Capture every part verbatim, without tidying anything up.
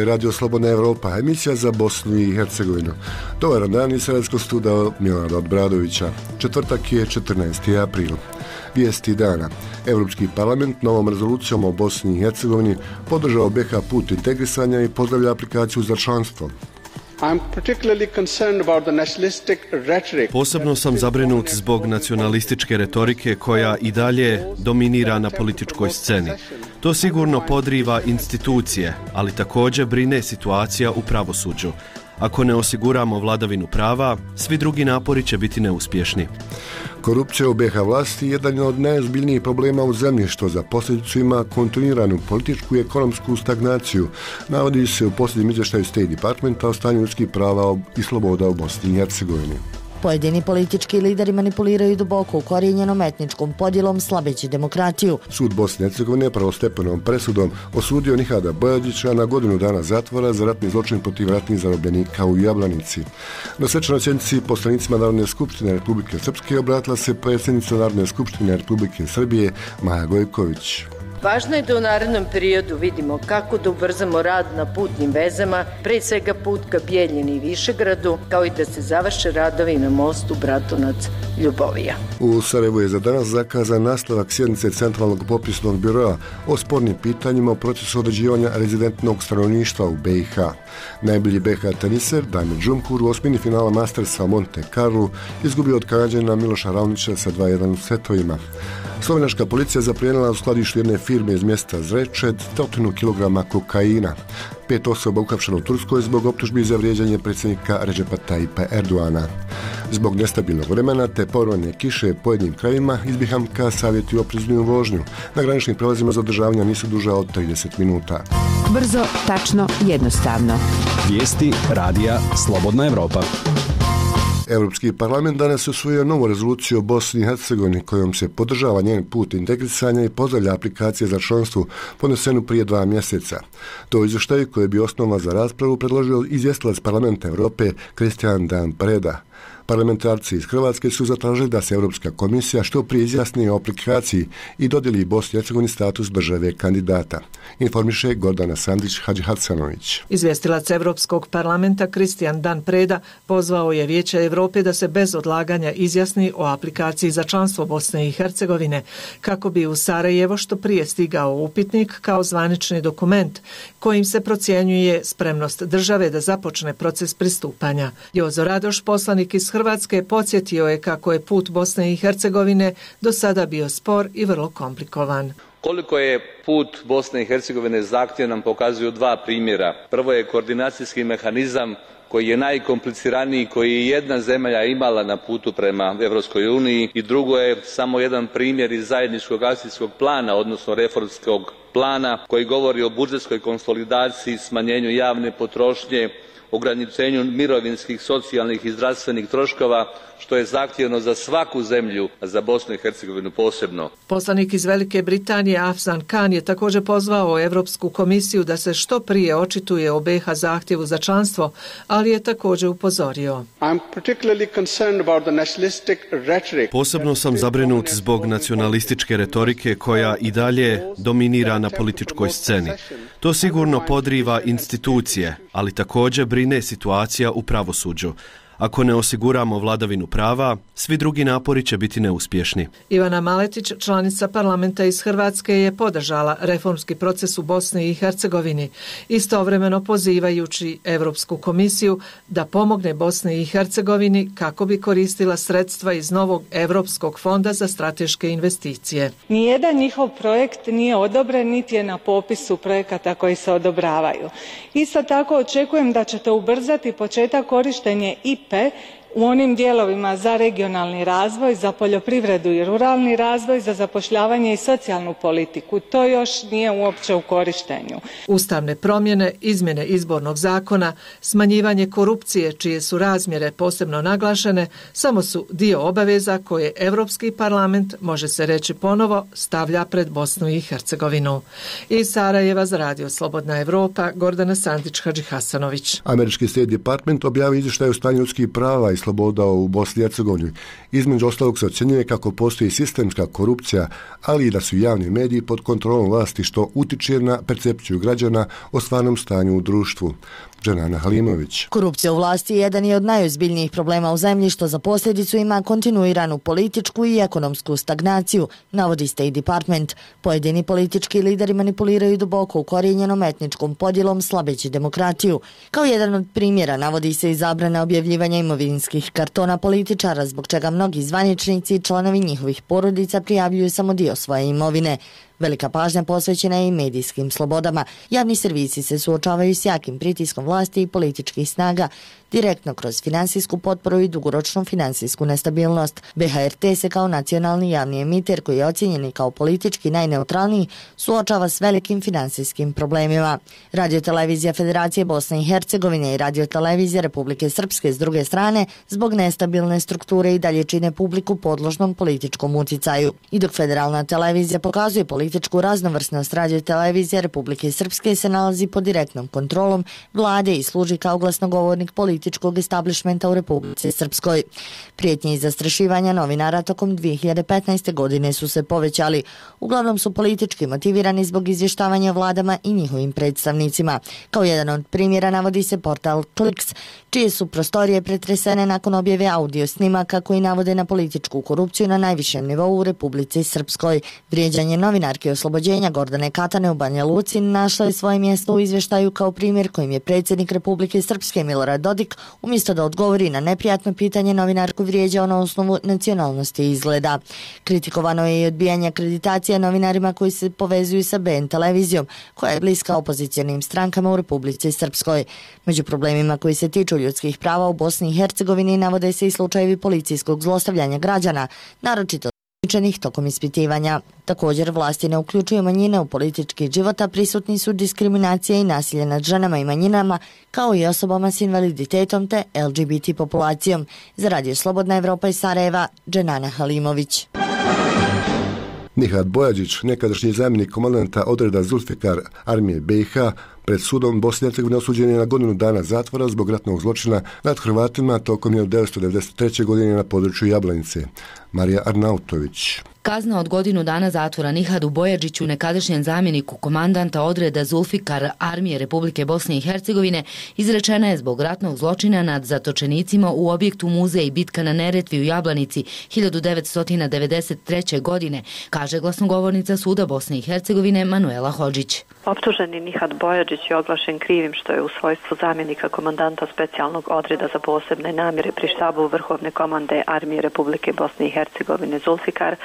radio Slobodna Evropa, emisija za Bosnu i Hercegovinu. Dobar dan iz Sredskog studia Milana Obradovića. Četvrtak je četrnaesti april. Vijesti dana. Europski parlament novom rezolucijom o Bosni i Hercegovini podržao B H put integrisanja i pozdravlja aplikaciju za članstvo. Posebno sam zabrinut zbog nacionalističke retorike koja i dalje dominira na političkoj sceni. To sigurno podriva institucije, ali također brine situacija u pravosuđu. Ako ne osiguramo vladavinu prava, svi drugi napori će biti neuspješni. Korupcija u B H vlasti je jedan od najozbiljnijih problema u zemlji, što za posljedicu ima kontinuiranu političku i ekonomsku stagnaciju, navodi se u posljednjem izvještaju State Departmenta o stanju ljudskih prava i sloboda u Bosni i Hercegovini. Pojedini politički lideri manipuliraju duboko ukorijenjenom etničkom podjelom slabeći demokratiju. Sud Bosne i Hercegovine prvostepenom presudom osudio Nihada Bojadića na godinu dana zatvora za ratni zločin protiv ratnih zarobljenika u Jablanici. Na svečanoj sjednici poslanicima Narodne skupštine Republike Srpske obratila se predsjednica Narodne skupštine Republike Srbije Maja Gojković. Važno je da u narednom periodu vidimo kako da ubrzamo rad na putnim vezama, pre svega put ka Bijeljini i Višegradu, kao i da se završe radovi na mostu Bratunac-Ljubovija. U Sarajevu je za danas zakazan nastavak sjednice Centralnog popisnog biroa o spornim pitanjima o procesu određivanja rezidentnog stanovništva u B i H. Najbolji B H teniser Damir Džumhur u osmini finala Mastersa u Monte Carlu izgubio od Kanađanina Miloša Raonića sa dva jedan u setovima. Slovenačka policija zaplijenila u skladištu jedne firme iz mjesta Zrečed stotinu kilograma kokaina. Pet osoba uhapšeno u Turskoj zbog optužbi za vrijeđanje predsjednika Redžepa Tajipa Erdoana. Zbog nestabilnog vremena te povremene kiše u pojedinim krajevima iz B H M-ka savjetuju oprezniju vožnju. Na graničnim prelazima zadržavanja nisu duža od trideset minuta. Brzo, tačno, jednostavno. Vijesti radija Slobodna Evropa. Europski parlament danas usvojio novu rezoluciju o Bosni i Hercegovini kojom se podržava njen put integrisanja i pozdravlja aplikacije za članstvo podnesenu prije dva mjeseca. To izvještaj koji bi osnova za raspravu predložio izvjestilac Parlamenta Europe Christian Dan Preda. Parlamentarci iz Hrvatske su zatražili da se Europska komisija što prije izjasni o aplikaciji i dodijeli Bosni i Hercegovini status države kandidata. Informiše Gordana Sandić Hadžihacanović. Izvjestilac Europskog parlamenta Christian Dan Preda pozvao je Vijeće Europe da se bez odlaganja izjasni o aplikaciji za članstvo Bosne i Hercegovine, kako bi u Sarajevo što prije stigao upitnik kao zvanični dokument kojim se procjenjuje spremnost države da započne proces pristupanja. Jozo Radoš, poslanik iz Hrvatske, podsjetio je kako je put Bosne i Hercegovine do sada bio spor i vrlo komplikovan. Koliko je put Bosne i Hercegovine zahtjevan nam pokazuju dva primjera. Prvo je koordinacijski mehanizam koji je najkompliciraniji, koji je jedna zemlja imala na putu prema Europskoj uniji, i drugo je samo jedan primjer iz zajedničkog akcijskog plana, odnosno reformskog plana, koji govori o budžetskoj konsolidaciji, smanjenju javne potrošnje, ograničenju mirovinskih, socijalnih i zdravstvenih troškova, što je zahtjevno za svaku zemlju, a za Bosnu i Hercegovinu posebno. Poslanik iz Velike Britanije Afzan Khan je također pozvao Europsku komisiju da se što prije očituje o B H zahtjevu za članstvo, ali je također upozorio. Posebno sam zabrinut zbog nacionalističke retorike koja i dalje dominira na političkoj sceni. To sigurno podriva institucije, ali također brine situacija u pravosuđu. Ako ne osiguramo vladavinu prava, svi drugi napori će biti neuspješni. Ivana Maletić, članica parlamenta iz Hrvatske, je podržala reformski proces u Bosni i Hercegovini, istovremeno pozivajući Europsku komisiju da pomogne Bosni i Hercegovini kako bi koristila sredstva iz novog Europskog fonda za strateške investicije. Nijedan njihov projekt nije odobren, niti je na popisu projekata koji se odobravaju. Isto tako očekujem da ćete ubrzati početak korištenja I P E u onim dijelovima za regionalni razvoj, za poljoprivredu i ruralni razvoj, za zapošljavanje i socijalnu politiku. To još nije uopće u korištenju. Ustavne promjene, izmjene izbornog zakona, smanjivanje korupcije, čije su razmjere posebno naglašene, samo su dio obaveza koje Europski parlament, može se reći ponovo, stavlja pred Bosnu i Hercegovinu. Iz Sarajeva za radio Slobodna Evropa, Gordana Sandić Hadžihasanović. Američki State Department objavio izvještaj o stanju ljudskih prava i sloboda u Bosni i Hercegovini. Između ostalog se ocjenjuje kako postoji sistemska korupcija, ali i da su javni mediji pod kontrolom vlasti, što utiče na percepciju građana o stvarnom stanju u društvu. Dženana Halimović. Korupcija u vlasti jedan je od najozbiljnijih problema u zemlji, što za posljedicu ima kontinuiranu političku i ekonomsku stagnaciju, navodi State Department. Pojedini politički lideri manipuliraju duboko ukorijenjenom etničkom podjelom, slabeći demokratiju. Kao jedan od primjera navodi se i zabrana objavljivanja imovinskih kartona političara, zbog čega mnogi zvaničnici i članovi njihovih porodica prijavljuju samo dio svoje imovine. Velika pažnja posvećena je i medijskim slobodama. Javni servisi se suočavaju s jakim pritiskom vlasti i političkih snaga, direktno kroz finansijsku potporu i dugoročnu finansijsku nestabilnost. B H R T se kao nacionalni javni emiter, koji je ocjenjen kao politički najneutralniji, suočava s velikim finansijskim problemima. Radiotelevizija Federacije Bosne i Hercegovine i Radiotelevizija Republike Srpske s druge strane, zbog nestabilne strukture i dalje čine publiku podložnom političkom uticaju. I dok federalna televizija pokazuje političku raznovrsnost, Radiotelevizija Republike Srpske se nalazi pod direktnom kontrolom vlade i služi kao glasnogovornik političkog političkog establishmenta u Republici Srpskoj. Prijetnje i zastrašivanja novinara tokom dvije hiljade petnaeste. godine su se povećali. Uglavnom su politički motivirani zbog izvještavanja vladama i njihovim predstavnicima. Kao jedan od primjera navodi se portal Kliks, čije su prostorije pretresene nakon objave audio snimaka koji navode na političku korupciju na najvišem nivou u Republici Srpskoj. Vrijeđanje novinarke oslobođenja Gordane Katane u Banja Luci našlo je svoje mjesto u izvještaju kao primjer kojim je predsjednik Republike Srpske Milorad Dodik umjesto da odgovori na neprijatno pitanje novinarku vrijeđao na osnovu nacionalnosti i izgleda. Kritikovano je i odbijanje akreditacija novinarima koji se povezuju sa B N televizijom, koja je bliska opozicionim strankama u Republici Srpskoj. Među problemima koji se tiču ljudskih prava u Bosni i Hercegovini navode se i slučajevi policijskog zlostavljanja građana, naročito učenih tokom ispitivanja. Također, vlasti ne uključuju manjine u politički život, a prisutni su diskriminacija i nasilje nad ženama i manjinama, kao i osobama s invaliditetom te L G B T populacijom. Za Radio Slobodna Evropa iz Sarajeva, Dženana Halimović. Nihat Bojađić, nekadašnji zamjenik komandanta odreda Zulfikar armije B i H, pred sudom Bosne i Hercegovine osuđen je na godinu dana zatvora zbog ratnog zločina nad Hrvatima tokom hiljadu devetsto devedeset treće. godine na području Jablanice. Marija Arnautović. Kazna od godinu dana zatvora Nihadu Bojađiću, nekadašnjem zamjeniku komandanta odreda Zulfikar armije Republike Bosne i Hercegovine, izrečena je zbog ratnog zločina nad zatočenicima u objektu Muzej bitka na Neretvi u Jablanici hiljadu devetsto devedeset treće. godine, kaže glasnogovornica suda Bosne i Hercegovine Manuela Hodžić. Optuženi Nihat Bojađić je oglašen krivim što je u svojstvu zamjenika komandanta specijalnog odreda za posebne namjere pri štabu Vrhovne komande armije Republike Bosne i Hercegovine Zulfikar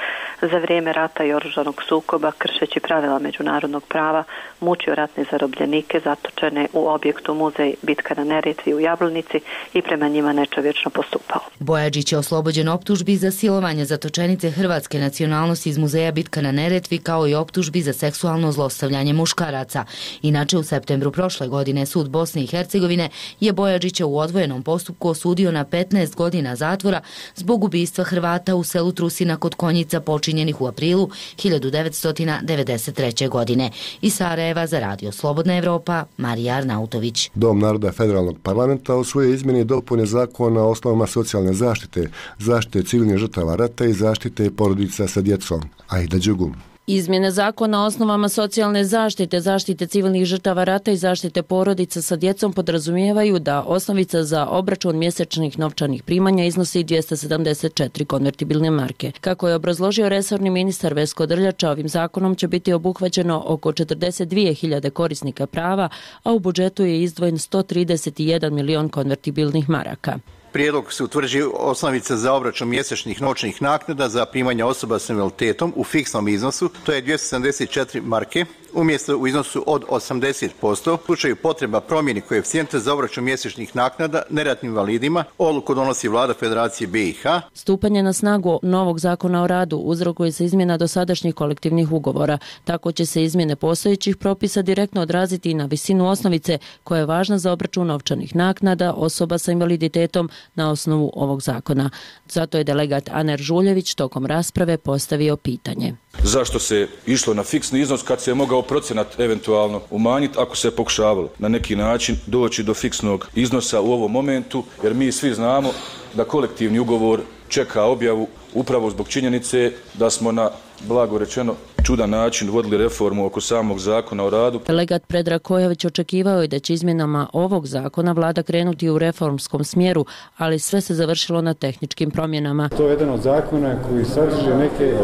za vrijeme rata i oružanog sukoba, kršeći pravila međunarodnog prava, mučio ratne zarobljenike zatočene u objektu Muzej bitka na Neretvi u Jablanici i prema njima nečovječno postupao. Bojađić je oslobođen optužbi za silovanje zatočenice hrvatske nacionalnosti iz Muzeja bitka na Neretvi, kao i optužbi za seksualno zlostavljanje muškaraca. Inače, u septembru prošle godine sud Bosne i Hercegovine je Bojađića u odvojenom postupku osudio na petnaest godina zatvora zbog ubistva Hrvata u selu Trusina kod Konjica počinjenih u aprilu hiljadu devetsto devedeset treće. godine. Iz Sarajeva za Radio Slobodna Evropa, Marija Arnautović. Dom naroda federalnog parlamenta usvojio izmjene i dopune zakona o osnovama socijalne zaštite, zaštite civilnih žrtava rata i zaštite porodica sa djecom. Aida Đugum. Izmjene zakona o osnovama socijalne zaštite, zaštite civilnih žrtava rata i zaštite porodica sa djecom podrazumijevaju da osnovica za obračun mjesečnih novčanih primanja iznosi dvjesto sedamdeset četiri konvertibilne marke. Kako je obrazložio resorni ministar Vesko Drljača, ovim zakonom će biti obuhvaćeno oko četrdeset dvije hiljade korisnika prava, a u budžetu je izdvojen sto trideset jedan milion konvertibilnih maraka. Prijedlog se utvrđuje osnovica za obračun mjesečnih novčanih naknada za primanje osoba s invaliditetom u fiksnom iznosu, to je dvjesto sedamdeset četiri marke, umjesto u iznosu od osamdeset posto. U slučaju potreba promjeni koeficijenta za obračun mjesečnih naknada neratnim invalidima, odluku donosi vlada Federacije B i H. Stupanje na snagu novog zakona o radu uzrokuje se izmjena dosadašnjih kolektivnih ugovora. Tako će se izmjene postojećih propisa direktno odraziti i na visinu osnovice koja je važna za obračun novčanih naknada osoba sa invaliditetom na osnovu ovog zakona. Zato je delegat Aner Žuljević tokom rasprave postavio pitanje. Zašto se išlo na fiksni iznos kad se je mogao procenat eventualno umanjiti ako se je pokušavalo na neki način doći do fiksnog iznosa u ovom momentu, jer mi svi znamo da kolektivni ugovor čeka objavu upravo zbog činjenice da smo na, blago rečeno, čudan način vodili reformu oko samog zakona o radu. Delegat Predrag Kojović očekivao je da će izmjenama ovog zakona vlada krenuti u reformskom smjeru, ali sve se završilo na tehničkim promjenama. To je jedan od zakona koji sadrži neke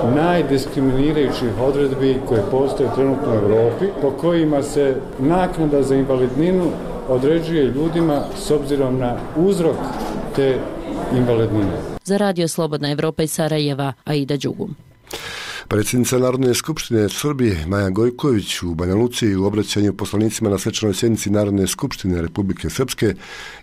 od najdiskriminirajućih odredbi koje postoje trenutno u Europi, po kojima se naknada za invalidninu određuje ljudima s obzirom na uzrok te invalidnine. Za Radio Slobodna Evropa iz Sarajeva, Aida Đugum. Predsjednica Narodne skupštine Srbije Maja Gojković u Banja Luci u obraćanju poslanicima na svečanoj sjednici Narodne skupštine Republike Srpske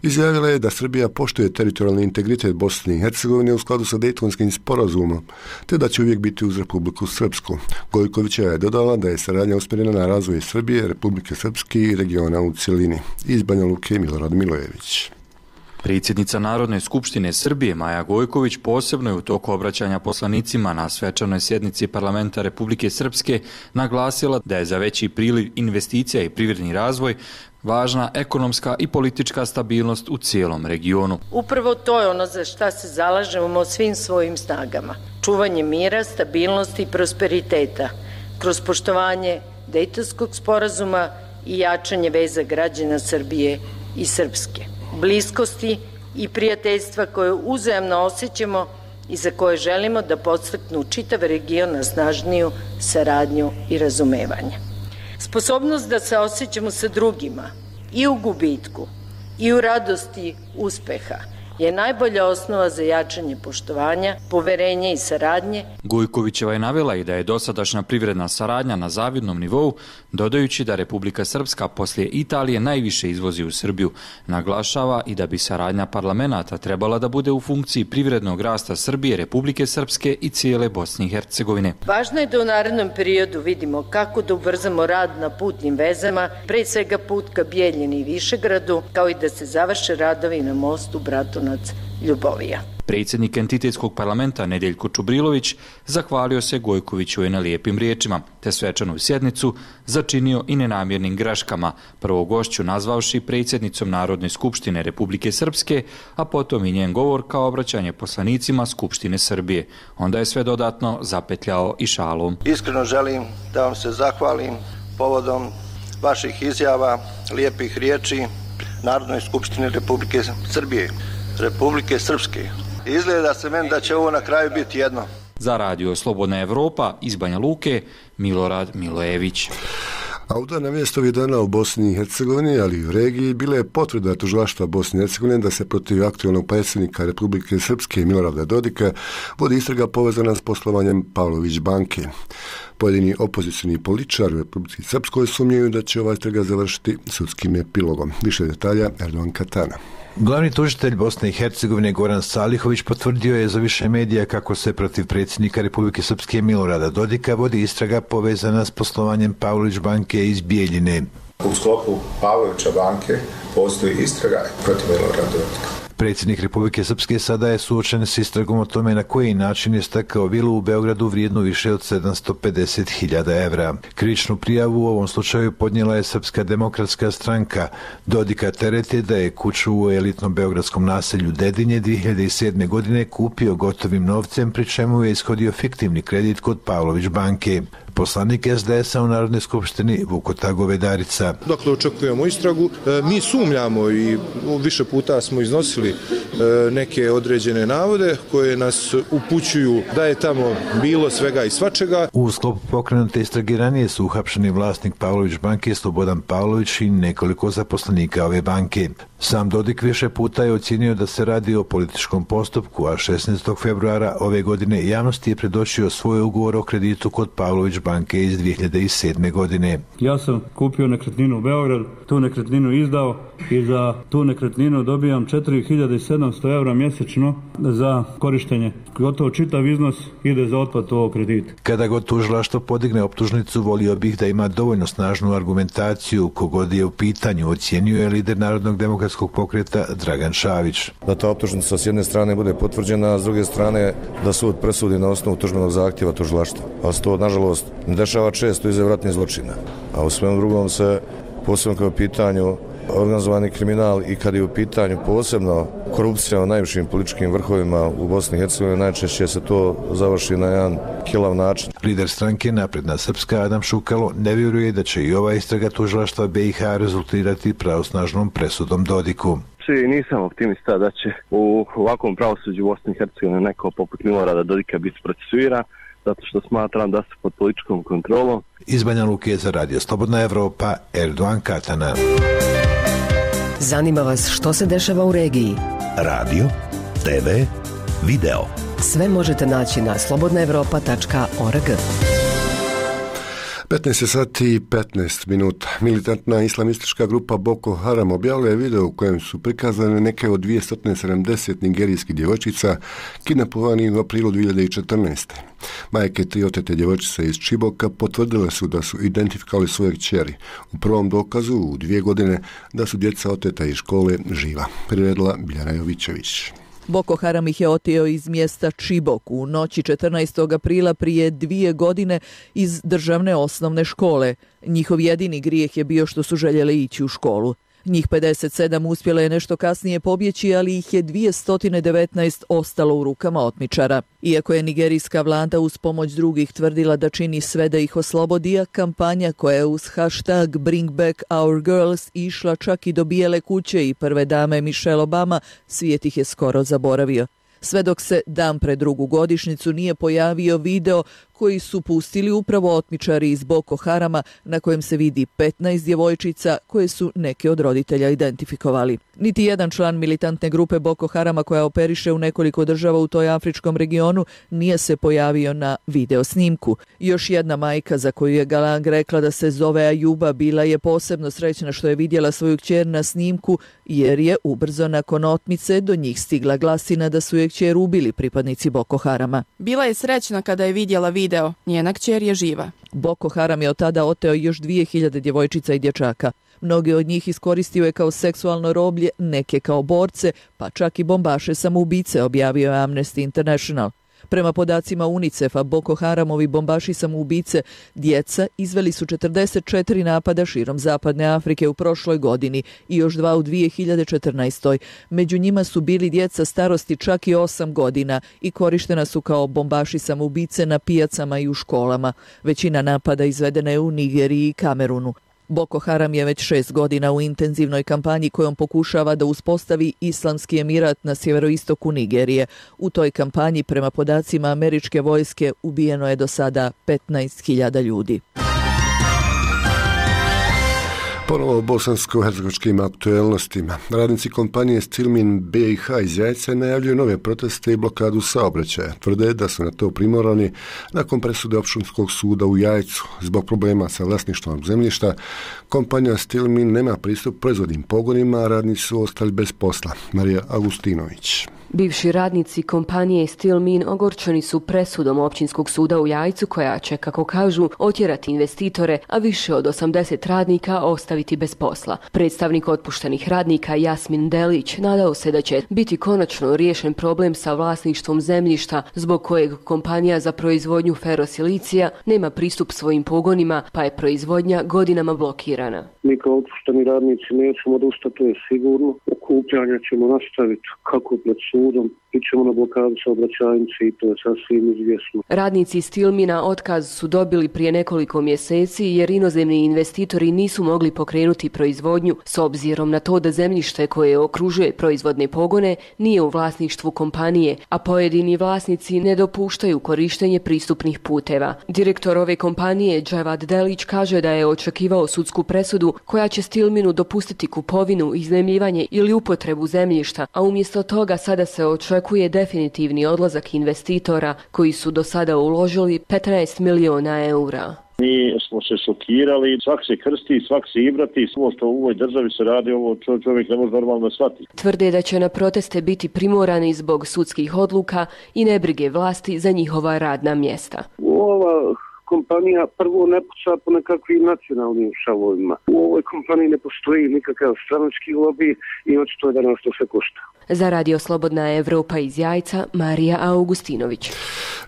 izjavila je da Srbija poštuje teritorijalni integritet Bosne i Hercegovine u skladu sa Dejtonskim sporazumom, te da će uvijek biti uz Republiku Srpsku. Gojkovića je dodala da je saradnja usmjerena na razvoj Srbije, Republike Srpske i regiona u cjelini. Iz Banja Luke Milorad Milojević. Predsjednica Narodne skupštine Srbije Maja Gojković posebno je u toku obraćanja poslanicima na svečanoj sjednici Parlamenta Republike Srpske naglasila da je za veći priliv investicija i privredni razvoj važna ekonomska i politička stabilnost u cijelom regionu. Upravo to je ono za šta se zalažemo svim svojim snagama. Čuvanje mira, stabilnosti i prosperiteta kroz poštovanje Dejtonskog sporazuma i jačanje veza građana Srbije i Srpske. Bliskosti i prijateljstva koje uzajamno osjećamo i za koje želimo da podstaknu čitav region na snažniju saradnju i razumevanje. Sposobnost da se osjećamo sa drugima i u gubitku i u radosti uspeha je najbolja osnova za jačanje poštovanja, poverenja i saradnje. Gojkovićeva je navela i da je dosadašnja privredna saradnja na zavidnom nivou, dodajući da Republika Srpska poslije Italije najviše izvozi u Srbiju. Naglašava i da bi saradnja parlamenata trebala da bude u funkciji privrednog rasta Srbije, Republike Srpske i cijele Bosne i Hercegovine. Važno je da u narednom periodu vidimo kako da ubrzamo rad na putnim vezama, pre svega put ka Bijeljini i Višegradu, kao i da se završe radovi na mostu Bratunac Ljubovija. Predsjednik entitetskog parlamenta Nedeljko Čubrilović zahvalio se Gojkoviću na lijepim riječima, te svečanu sjednicu začinio i nenamjernim greškama, prvo gošću nazvavši predsjednicom Narodne skupštine Republike Srpske, a potom i njen govor kao obraćanje poslanicima Skupštine Srbije. Onda je sve dodatno zapetljao i šalom. Iskreno želim da vam se zahvalim povodom vaših izjava, lijepih riječi Narodnoj skupštini Republike Srbije, Republike Srpske. Izgleda se meni da će ovo na kraju biti jedno. Za Radio Slobodna Evropa iz Banja Luke, Milorad Milojević. A u dana mjesto ovih dana u Bosni i Hercegovini, ali i u regiji, bila je potvrda tužilaštva Bosne i Hercegovine da se protiv aktualnog predsjednika Republike Srpske Milorada Dodika vodi istraga povezana s poslovanjem Pavlović banke. Pojedini opozicijni političari u Republici Srpskoj sumnjaju da će ova istraga završiti sudskim epilogom. Više detalja Erdogan Katana. Glavni tužitelj Bosne i Hercegovine Goran Salihović potvrdio je za više medija kako se protiv predsjednika Republike Srpske Milorada Dodika vodi istraga povezana s poslovanjem Pavlović banke iz Bijeljine. U sklopu Pavlovića banke postoji istraga protiv Milorada Dodika. Predsjednik Republike Srpske sada je suočen s istragom o tome na koji način je stekao vilu u Beogradu vrijednu više od sedamsto pedeset hiljada evra. Krivičnu prijavu u ovom slučaju podnijela je Srpska demokratska stranka. Dodika tereti da je kuću u elitnom beogradskom naselju Dedinje dvije hiljade sedme. godine kupio gotovim novcem, pri čemu je ishodio fiktivni kredit kod Pavlović banke. Poslanik es de es a u Narodnoj skupštini Vukotar Govedarica. Dakle, očekujemo istragu. Mi sumnjamo i više puta smo iznosili neke određene navode koje nas upućuju da je tamo bilo svega i svačega. U sklopu pokrenute istrage ranije su uhapšeni vlasnik Pavlović banke Slobodan Pavlović i nekoliko zaposlenika ove banke. Sam Dodik više puta je ocjenio da se radi o političkom postupku, a šesnaestog februara ove godine javnosti je predočio svoj ugovor o kreditu kod Pavlović banke iz dvije hiljade sedme. godine. Ja sam kupio nekretninu u Beograd, tu nekretninu izdao i za tu nekretninu dobijam četiri hiljade sedamsto evra mjesečno za korištenje. Gotovo čitav iznos ide za otplatu ovog kredita. Kada god tužilaštvo podigne optužnicu, volio bih da ima dovoljno snažnu argumentaciju, kogod je u pitanju, ocjenio je lider Narodnog demokratskog pokreta Dragan Šavić. Da ta optužnica s jedne strane bude potvrđena, a s druge strane da sud presudi na osnovu tužbenog zahtjeva tužilaštva. A se to, nažalost, ne dešava često iza ratnih zločina. A u svem drugom se, posebno kao pitanju organizovani kriminal i kad je u pitanju posebno korupcija u najvišim političkim vrhovima u Bosni i Hercegovini, najčešće se to završi na jedan kilav način. Lider stranke Napredna Srpska Adam Šukalo ne vjeruje da će i ova istraga tužilaštva B i H rezultirati pravosnažnom presudom Dodiku. Nisam optimista da će u ovakvom pravosuđu u Bosni i Hercegovini neko poput Milorada Dodika biti procesuiran, zato što smatram da su pod političkom kontrolom. Iz Banja Luke za Radio Slobodna Evropa, Erdogan Katana. Zanima vas što se dešava u regiji? Radio, te ve, video. Sve možete naći na slobodna evropa tačka org. petnaest sati i petnaest minuta. Militantna islamistička grupa Boko Haram objavila je video u kojem su prikazane neke od dvjesto sedamdeset nigerijskih djevojčica kidnapovanih u aprilu dvije hiljade četrnaeste. Majke tri otete djevojčice iz Čiboka potvrdile su da su identifikovali svoje kćeri. U prvom dokazu u dvije godine da su djeca oteta iz škole živa. Priredila Biljana Jovićević. Boko Haram ih je oteo iz mjesta Čibok u noći četrnaestog aprila prije dvije godine iz državne osnovne škole. Njihov jedini grijeh je bio što su željeli ići u školu. Njih pedeset sedam uspjelo je nešto kasnije pobjeći, ali ih je dvjesto devetnaest ostalo u rukama otmičara. Iako je nigerijska vlada uz pomoć drugih tvrdila da čini sve da ih oslobodi, a kampanja koja je uz hashtag Bring Back Our Girls išla čak i do Bijele kuće i prve dame Michelle Obama, svijet ih je skoro zaboravio. Sve dok se dan pred drugu godišnjicu nije pojavio video koji su pustili upravo otmičari iz Boko Harama, na kojem se vidi petnaest djevojčica koje su neke od roditelja identifikovali. Niti jedan član militantne grupe Boko Harama koja operiše u nekoliko država u toj afričkom regionu nije se pojavio na video snimku. Još jedna majka za koju je Galang rekla da se zove Ajuba bila je posebno srećna što je vidjela svoju kćer na snimku, jer je ubrzo nakon otmice do njih stigla glasina da su je kćer ubili pripadnici Boko Harama. Bila je srećna kada je vidjela video. Njena kćer je živa. Boko Haram je od tada oteo još dvije hiljade djevojčica i dječaka. Mnoge od njih iskoristio je kao seksualno roblje, neke kao borce, pa čak i bombaše samoubice, objavio je Amnesty International. Prema podacima UNICEF-a, Boko Haramovi bombaši samoubice, djeca, izveli su četrdeset četiri napada širom zapadne Afrike u prošloj godini i još dva u dvije hiljade četrnaestoj. Među njima su bili djeca starosti čak i osam godina i korištena su kao bombaši samoubice na pijacama i u školama. Većina napada izvedena je u Nigeriji i Kamerunu. Boko Haram je već šest godina u intenzivnoj kampanji kojom pokušava da uspostavi islamski emirat na sjeveroistoku Nigerije. U toj kampanji, prema podacima američke vojske, ubijeno je do sada petnaest hiljada ljudi. Ponovo o bosansko-hercegovačkim aktuelnostima. Radnici kompanije Stilmin B i H iz Jajce najavljuju nove proteste i blokadu saobraćaja. Tvrde da su na to primorani nakon presude Opštinskog suda u Jajcu. Zbog problema sa vlasništvom zemljišta, kompanija Stilmin nema pristup proizvodnim pogonima, a radnici su ostali bez posla. Marija Agustinović. Bivši radnici kompanije Stilmin ogorčeni su presudom Općinskog suda u Jajcu koja će, kako kažu, otjerati investitore, a više od osamdeset radnika ostaviti bez posla. Predstavnik otpuštenih radnika Jasmin Delić nadao se da će biti konačno riješen problem sa vlasništvom zemljišta zbog kojeg kompanija za proizvodnju ferosilicija nema pristup svojim pogonima, pa je proizvodnja godinama blokirana. Mi kao otpušteni radnici nećemo odustati, to je sigurno. Okupljanja ćemo nastaviti kako pred sudom, ićemo na blokadu saobraćajnice i to je sasvim izvjesno. Radnici Stilmina otkaz su dobili prije nekoliko mjeseci jer inozemni investitori nisu mogli pokrenuti proizvodnju s obzirom na to da zemljište koje okružuje proizvodne pogone nije u vlasništvu kompanije, a pojedini vlasnici ne dopuštaju korištenje pristupnih puteva. Direktor ove kompanije Dževad Delić kaže da je očekivao sudsku presudu koja će Stilminu dopustiti kupovinu, iznajmljivanje ili upotrebu zemljišta, a umjesto toga sada se očekuje definitivni odlazak investitora koji su do sada uložili petnaest miliona eura. Mi smo se šokirali, svak se krsti, svak se ibrati, ovo što u ovoj državi se radi, ovo čovjek ne može normalno shvatiti. Tvrde da će na proteste biti primorani zbog sudskih odluka i nebrige vlasti za njihova radna mjesta. Ova kompanija kompanija prvo ne puca po nekakvim nacionalnim šavovima. U ovoj kompaniji ne postoji nikakav stranački lobby i očito je da nas to sve košta. Za Radio Slobodna Evropa iz Jajca, Marija Augustinović.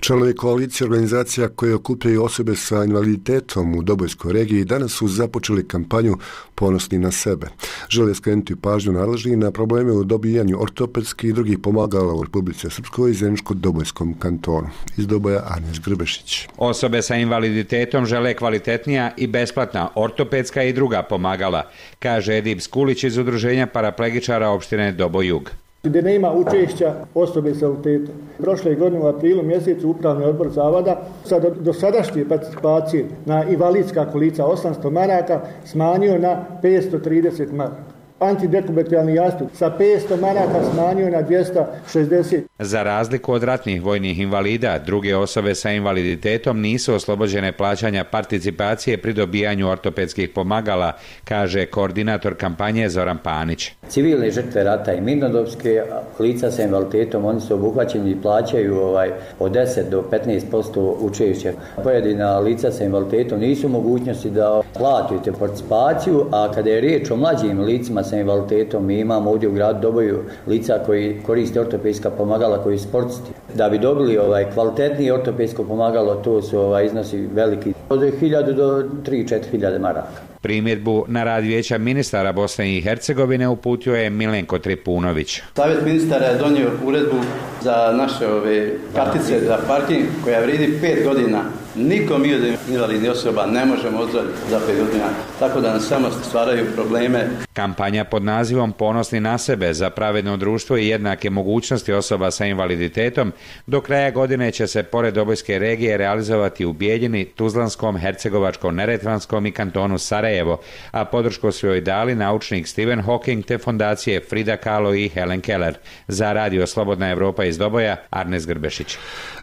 Članovi koalicije organizacija koje okupljaju osobe sa invaliditetom u Dobojskoj regiji danas su započeli kampanju Ponosni na sebe. Žele skrenuti pažnju nadležnih na probleme u dobijanju ortopedskih i drugih pomagala u Republici Srpskoj i Zeničko-Dobojskom kantonu. Iz Doboja Arnes Grbešić. Osobe sa invaliditetom žele kvalitetnija i besplatna ortopedska i druga pomagala, kaže Edip Skulić iz Udruženja paraplegičara opštine Doboj-Jug. Gdje nema učešća osobe sa invaliditetom. Prošle godine u aprilu mjesecu Upravni odbor Zavoda sa dosadašnje participacije na invalidska kolica osamsto maraka smanjio na petsto trideset maraka. Antidekubitalni jastup sa petsto maraka smanjio na dvjesto šezdeset. Za razliku od ratnih vojnih invalida, druge osobe sa invaliditetom nisu oslobođene plaćanja participacije pri dobijanju ortopedskih pomagala, kaže koordinator kampanje Zoran Panić. Civilne žrtve rata i mirnodopske lica sa invaliditetom, oni su obuhvaćeni i plaćaju ovaj, od deset do petnaest posto učešća. Pojedina lica sa invaliditetom nisu mogućnosti da platite participaciju, a kada je riječ o mlađim licima sa invaliditetom, mi imamo ovdje u gradu Doboju lica koji koriste ortopedska pomagala, koji su sportisti. Da bi dobili ovaj kvalitetnije ortopedsko pomagalo, to su ovaj iznosi veliki, od hiljadu do tri do četiri hiljade maraka. Primjedbu na rad vijeća ministara Bosne i Hercegovine uputio je Milenko Tripunović. Savjet ministara je donio uredbu za naše ove kartice za parking koja vridi pet godina. Niko mi od invalidnih osoba ne možemo ozdraviti za pet godina, tako da nam samo stvaraju probleme. Kampanja pod nazivom Ponosni na sebe za pravedno društvo i jednake mogućnosti osoba sa invaliditetom do kraja godine će se pored Dobojske regije realizovati u Bijeljini, Tuzlanskom, Hercegovačkom, Neretvanskom i kantonu Sarajevo, a podršku su joj dali naučnik Stephen Hawking te fondacije Frida Kahlo i Helen Keller. Za Radio Slobodna Evropa iz Doboja, Arnes Grbešić.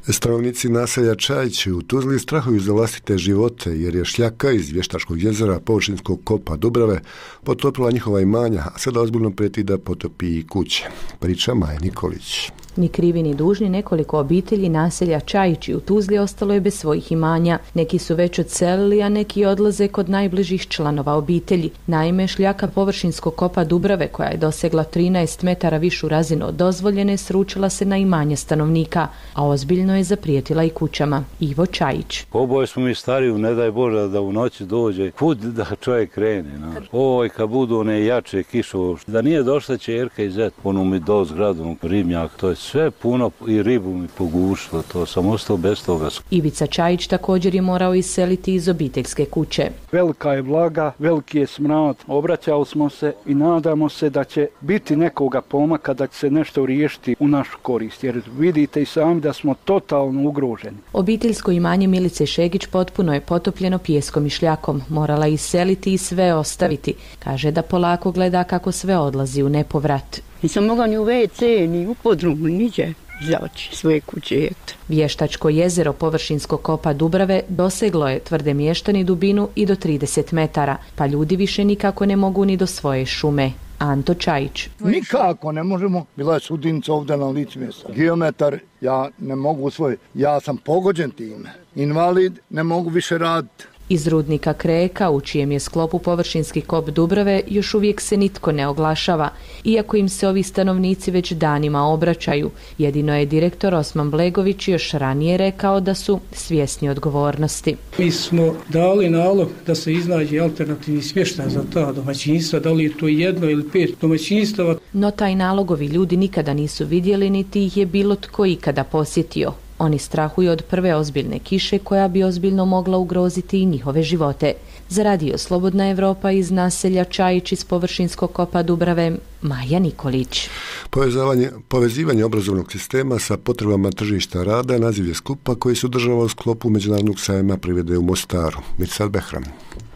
Stanovnici naselja Čajići u Tuzli strahuju za vlastite živote jer je šljaka iz Vještačkog jezera površinskog kopa Dubrave potopila njihova imanja, a sada ozbiljno prijeti da potopi i kuće. Priča Maja Nikolić. Ni krivi ni dužni nekoliko obitelji naselja Čajići u Tuzli ostalo je bez svojih imanja. Neki su već odselili, a neki odlaze kod najbližih članova obitelji. Naime, šljaka površinskog kopa Dubrave, koja je dosegla trinaest metara višu razinu od dozvoljene, sručila se na imanje stanovnika, a ozbiljno je zaprijetila i kućama. Ivo Čajić. Oboje smo mi stariji, ne daj Bože da u noći dođe. Kud da čovjek krene? No? Ovo kad budu one jače kišo, da nije došla ćerka i zet, onu mi do zgradu, ribnjak, to je sve puno i ribu mi pogušilo, to sam ostao bez toga. Ivica Čajić također je morao iseliti iz obiteljske kuće. Velika je vlaga, veliki je smrad, obraćali smo se i nadamo se da će biti nekoga pomaka da će se nešto riješiti u našu korist, jer vidite i sami da smo totalno ugroženi. Obiteljsko imanje Milice Šegić potpuno je potopljeno pijeskom i šljakom, morala iseliti i sve ostaviti. Kaže da polako gleda kako sve odlazi u nepovrat. Nisam mogla ni u ve ce, ni u podrumu, niđe zaći svoje kuće. Eto. Vještačko jezero površinskog kopa Dubrave doseglo je, tvrde mještani, dubinu i do trideset metara, pa ljudi više nikako ne mogu ni do svoje šume. Anto Čajić. Nikako ne možemo, bila je sudinca ovdje na licu mjesta. Geometar, ja ne mogu svoj, ja sam pogođen time. Invalid, ne mogu više raditi. Iz rudnika Kreka, u čijem je sklopu površinski kop Dubrave, još uvijek se nitko ne oglašava, iako im se ovi stanovnici već danima obraćaju. Jedino je direktor Osman Blegović još ranije rekao da su svjesni odgovornosti. Mi smo dali nalog da se iznađe alternativni smještaj za ta domaćinstva, da li je to jedno ili pet domaćinstava. No taj nalogovi ljudi nikada nisu vidjeli, niti ih je bilo tko ikada posjetio. Oni strahuju od prve ozbiljne kiše koja bi ozbiljno mogla ugroziti i njihove živote. Za Radio Slobodna Evropa iz naselja Čajić iz površinskog kopa Dubrave, Maja Nikolić. Povezivanje, povezivanje obrazovnog sistema sa potrebama tržišta rada naziv je skupa koji se održava u sklopu Međunarodnog sajma privrede u Mostaru. Mirsad Behram.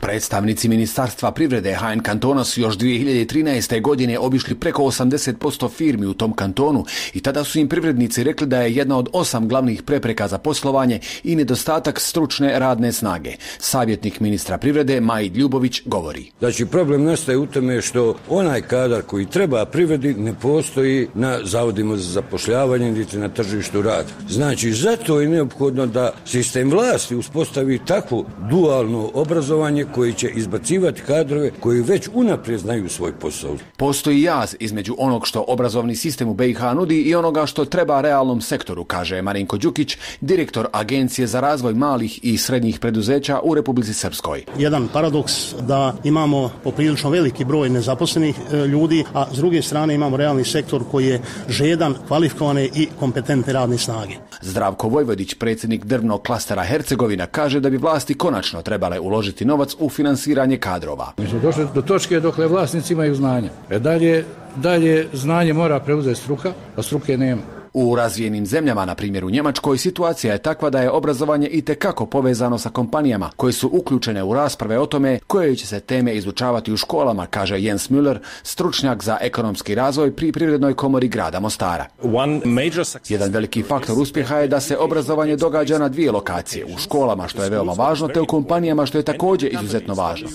Predstavnici Ministarstva privrede ha en kantona su još dvije hiljade trinaeste. godine obišli preko osamdeset posto firmi u tom kantonu i tada su im privrednici rekli da je jedna od osam glavnih prepreka za poslovanje i nedostatak stručne radne snage. Savjetnik ministra privrede Majid Ljubović govori. Znači problem nastaje u tome što onaj kadar koji treba privredi ne postoji na zavodima za zapošljavanje niti na tržištu rada. Znači, zato je neophodno da sistem vlasti uspostavi takvo dualno obrazovanje koji će izbacivati kadrove koji već unaprijed znaju svoj posao. Postoji jaz između onog što obrazovni sistem u B i H nudi i onoga što treba realnom sektoru, kaže Marinko Đukić, direktor Agencije za razvoj malih i srednjih preduzeća u Republici Srpskoj. Jedan paradoks da imamo poprilično veliki broj nezaposlenih ljudi, a s druge strane imamo realni sektor koji je žedan, kvalifikovane i kompetentne radne snage. Zdravko Vojvodić, predsjednik drvnog klastera Hercegovina, kaže da bi vlasti konačno trebale uložiti novac u finansiranje kadrova. Mi smo došli do točke dokle vlasnici imaju znanje. E dalje, dalje znanje mora preuzeti struka, a struke nema. U razvijenim zemljama, na primjer u Njemačkoj, situacija je takva da je obrazovanje itekako povezano sa kompanijama koje su uključene u rasprave o tome koje će se teme izučavati u školama, kaže Jens Müller, stručnjak za ekonomski razvoj pri Privrednoj komori grada Mostara. Jedan veliki faktor uspjeha je da se obrazovanje događa na dvije lokacije, u školama što je veoma važno, te u kompanijama što je također izuzetno važno.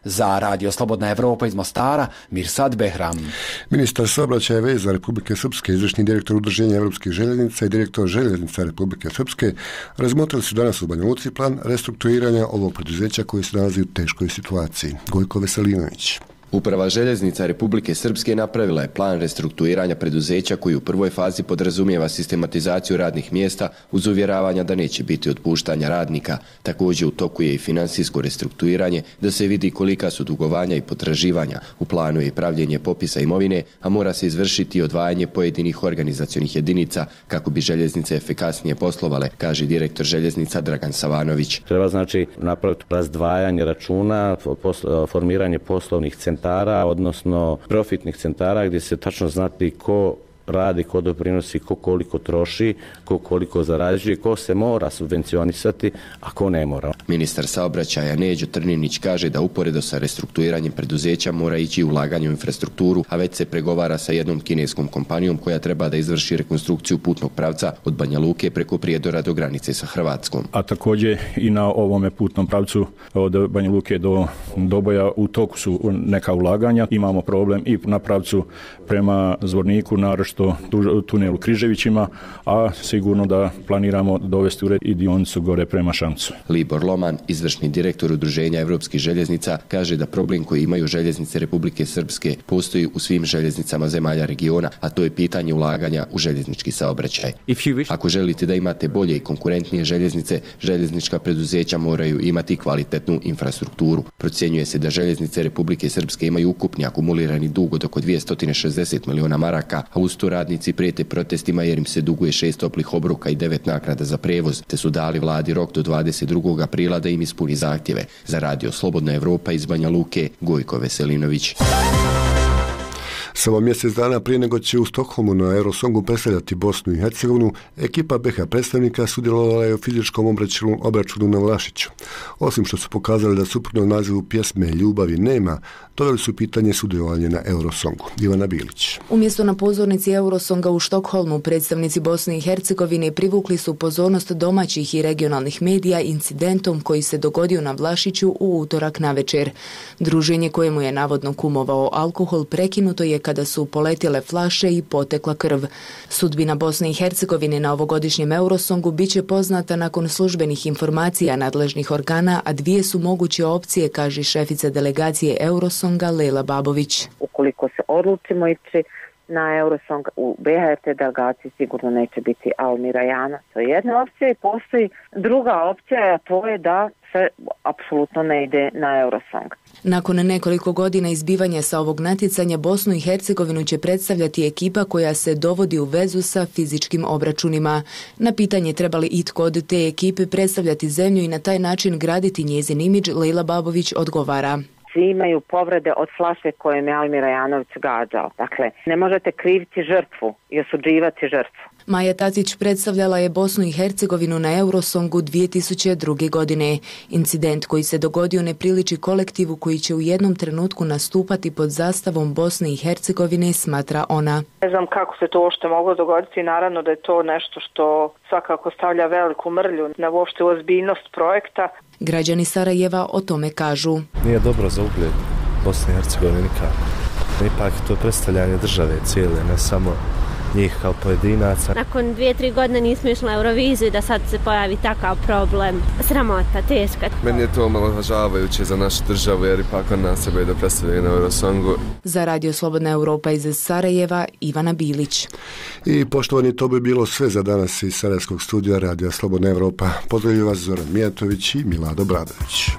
Za Radio Slobodna Evropa iz Mostara, Mirsad Behram. Ministar saobraćaja i veza Republike Srpske, izvršni direktor Udruženja evropskih željeznica i direktor Željeznica Republike Srpske razmotrili su danas u Banja Luci plan restrukturiranja ovog preduzeća koji se nalazi u teškoj situaciji. Gojko Veselinović. Uprava Željeznica Republike Srpske napravila je plan restrukturiranja preduzeća koji u prvoj fazi podrazumijeva sistematizaciju radnih mjesta uz uvjeravanja da neće biti otpuštanja radnika. Također u toku je i finansijsko restrukturiranje da se vidi kolika su dugovanja i potraživanja. U planu je i pravljenje popisa imovine, a mora se izvršiti odvajanje pojedinih organizacionih jedinica kako bi željeznice efikasnije poslovale, kaže direktor Željeznica Dragan Savanović. Treba znači napraviti razdvajanje računa, formiranje poslovnih centara, odnosno profitnih centara gdje se tačno znati ko radi, ko doprinosi, ko koliko troši, ko koliko zarađuje, ko se mora subvencionisati, a ko ne mora. Ministar saobraćaja Neđo Trninić kaže da uporedo sa restrukturiranjem preduzeća mora ići ulaganje u infrastrukturu, a već se pregovara sa jednom kineskom kompanijom koja treba da izvrši rekonstrukciju putnog pravca od Banja Luke preko Prijedora do granice sa Hrvatskom. A također i na ovome putnom pravcu od Banja Luke do Doboja u toku su neka ulaganja. Imamo problem i na pravcu prema Zvorniku, naročito tunelu Križevićima, a sigurno da planiramo dovesti u red i dionicu gore prema Šamcu. Libor Loman, izvršni direktor Udruženja evropskih željeznica, kaže da problem koji imaju željeznice Republike Srpske postoji u svim željeznicama zemalja regiona, a to je pitanje ulaganja u željeznički saobraćaj. Ako želite da imate bolje i konkurentnije željeznice, željeznička preduzeća moraju imati kvalitetnu infrastrukturu. Procjenjuje se da željeznice Republike Srpske imaju ukupni akumulirani dug od oko dvjesto šezdeset miliona maraka, a uz to radnici prijete protestima jer im se duguje šest toplih obroka i devet naknada za prevoz, te su dali vladi rok do dvadeset drugog aprila da im ispuni zahtjeve. Za Radio Slobodna Evropa iz Banja Luke, Gojko Veselinović. Samo mjesec dana prije nego će u Stokholmu na Eurosongu predstavljati Bosnu i Hercegovinu, ekipa B H predstavnika sudjelovala je u fizičkom obračunu, obračunu na Vlašiću. Osim što su pokazali da suprotno nazivu pjesme Ljubavi nema, doveli su pitanje sudjelovanja na Eurosongu. Ivana Bilić. Umjesto na pozornici Eurosonga u Štokholmu, predstavnici Bosne i Hercegovine privukli su pozornost domaćih i regionalnih medija incidentom koji se dogodio na Vlašiću u utorak navečer. Druženje kojemu je navodno kumovao alkohol prekinuto je kada su poletjele flaše i potekla krv. Sudbina Bosne i Hercegovine na ovogodišnjem Eurosongu bit će poznata nakon službenih informacija nadležnih organa, a dvije su moguće opcije, kaže šefica delegacije Eurosonga Lela Babović. Ukoliko se odlučimo ići na Eurosong u B H T delegaciji sigurno neće biti Almira Jana. To je jedna opcija i postoji druga opcija, a to je da se apsolutno ne ide na Eurosong. Nakon nekoliko godina izbivanja sa ovog natjecanja, Bosnu i Hercegovinu će predstavljati ekipa koja se dovodi u vezu sa fizičkim obračunima. Na pitanje treba li itko od te ekipe predstavljati zemlju i na taj način graditi njezin imidž, Lejla Babović odgovara. Svi imaju povrede od flaše kojom je Almira Janović gađao. Dakle, ne možete kriviti žrtvu i osuđivati žrtvu. Maja Tatić predstavljala je Bosnu i Hercegovinu na Eurosongu dvije tisuće druge. godine. Incident koji se dogodio ne priliči kolektivu koji će u jednom trenutku nastupati pod zastavom Bosne i Hercegovine, smatra ona. Ne znam kako se to uopšte moglo dogoditi, naravno da je to nešto što svakako stavlja veliku mrlju na uopšte ozbiljnost projekta. Građani Sarajeva o tome kažu. Nije dobro za ugled Bosne i Hercegovine nikako. Ipak to predstavljanje države cijele, ne samo njih kao pojedinaca. Nakon dvije, tri godine nismo išli na Euroviziju da sad se pojavi takav problem. Sramota, teška. Meni je to omalovažavajuće za našu državu jer ipak on nas sebe da predstavljaju na Eurosongu. Za Radio Slobodna Europa iz Sarajeva, Ivana Bilić. I poštovani, to bi bilo sve za danas iz Sarajevskog studija Radio Slobodna Europa. Pozdravljaju vas Zoran Mijatović i Milado Bradović.